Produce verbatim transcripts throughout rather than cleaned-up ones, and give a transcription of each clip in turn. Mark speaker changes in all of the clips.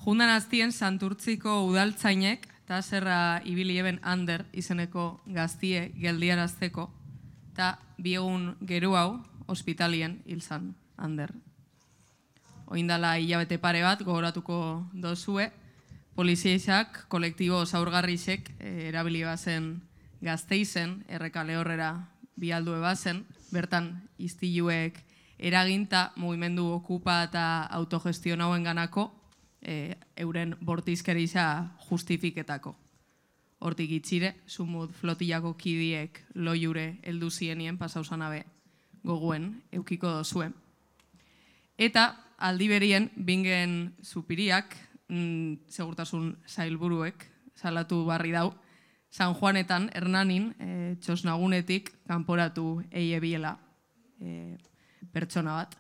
Speaker 1: Jundan aztien Santurtziko udaltzainek eta zerra ibili eben Ander izeneko gaztie geldiarazteko eta bi egun geru hau ospitalien hil zan Ander. Oindala hilabete pare bat gogoratuko dozue, poliziaisak kolektibo zaurgarrisek erabili bazen Gasteizen, errekale horrera bialdu ebazen, bertan iztiluek eraginta mugimendu okupa eta autogestion hauen ganako e, euren bortizkerisa justifiketako. Hortik itxire, sumut flotillako kidiek loiure heldu zienien pasausanabe goguen eukiko dozuen. Eta aldi berien bingen supiriak, mm, segurtasun zailburuek, salatu barri dau, San Juanetan, Hernanin, e, txosnagunetik kanporatu eie biela e, pertsona bat.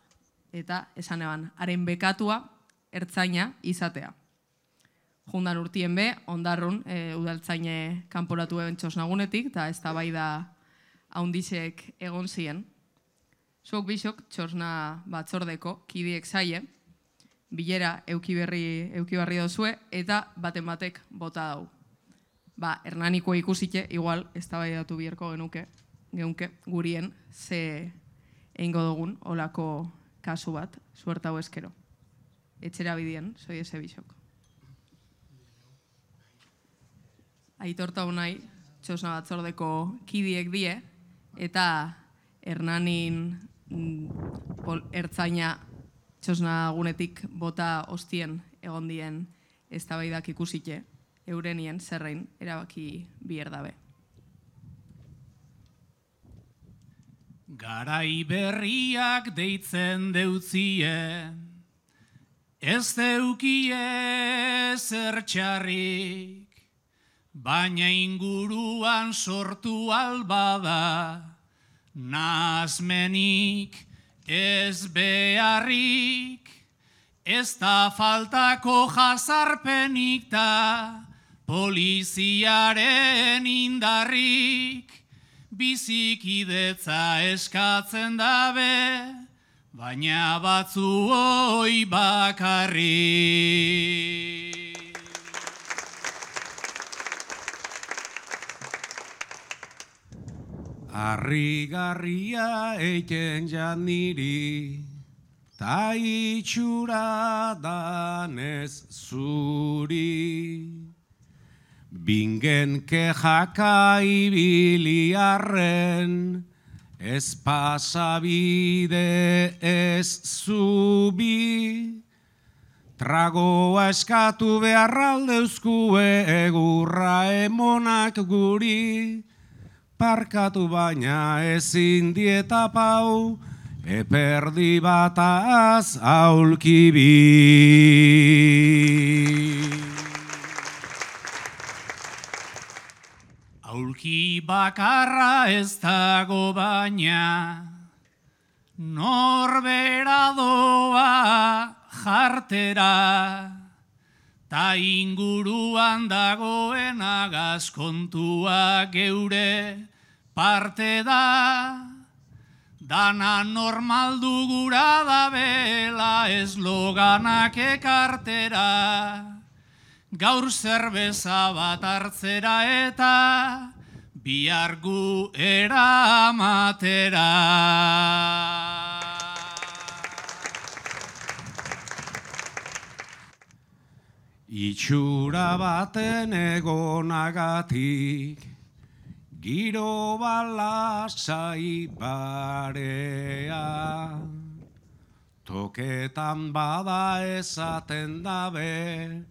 Speaker 1: Eta esan eban, haren bekatua ertzaina izatea. Jundan urtien be, ondarrun, e, udaltzaine kanporatu eben txosnagunetik, eta ez da bai da haundizek egon zien. Zuok bisok txosna batzordeko kidiek zaie, bilera eukiberri, eukibarri dozue, eta baten batek bota dau. Ba, Hernaniko ikusite, igual, ez da bai datu bierko genuke, geunke, gurien, ze eingo dugun, olako kasu bat, suertau eskero. Etxera bidien, soi eze bisok. Aitorta unai, txosna batzordeko kidiek die, eta Hernanin mm, ertzaina txosna gunetik bota ostien egon dien ez da bai dak ikusite, eurenien zerrein erabaki bierdabe.
Speaker 2: Garai berriak deitzen deutzie, ez deukie zertxarrik, baina inguruan sortu albada, nazmenik ez beharrik, ez da faltako jazarpenik da, poliziaren indarrik, bizikidetza eskatzen dabe, baina batzu hoi bakarrik. Harrigarria eiten jan niri, ta itxura danez zuri. Bingen kejaka ibiliarren, ez pasabide ez zubi. Tragoa eskatu beharraldeuzkue egurra emonak guri. Parkatu baina ezin dieta pau, eperdi bataz aulkibi. Aulki bakarra ez dago baina, norbera doa jartera, ta inguruan dagoen agazkontua geure parte da, dana normaldu gura da bela esloganak ekartera. Gaur zerbeza bat hartzera eta bihar gu eramatera. Itxura baten egonagatik, giro balasai barea. Toketan bada esaten dabe,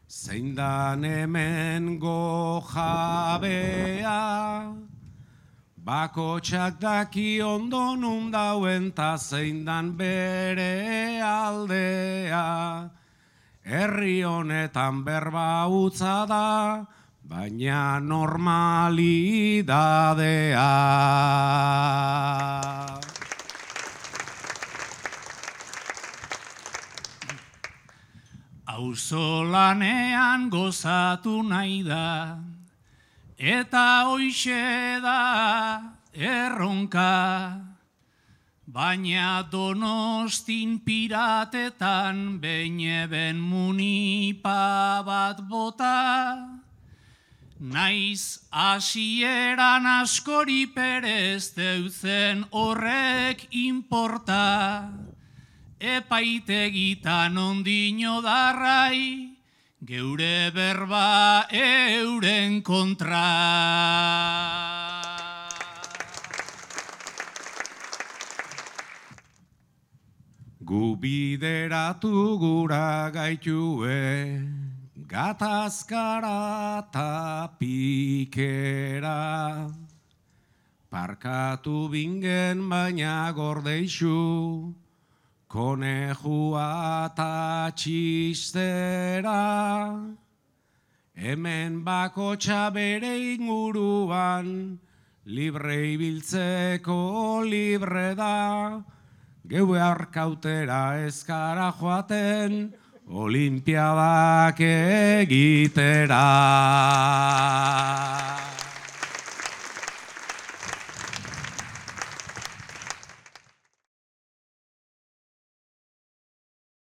Speaker 2: zein dan hemen gojabea. Bakotxak daki ondo nun dauen ta zein dan bere aldea. Herri honetan berba utza da, baina normalidadea. Auzolanean gozatu nahi da, eta hoixe da erronka. baina Donostin piratetan behin munipa bat bota, naiz hasieran askori perez deutzen horrek inporta, epaitegitan ondino darrai, geure berba euren kontra. Gu bideratu gura gaitue, gatazkara ta pikera. Parkatu bingen baina gordeixu, konejua ta txistera. Hemen bakotxa bere inguruan, libre ibiltzeko libre da. Geue arkautera ezkara joaten, olimpiadak egitera.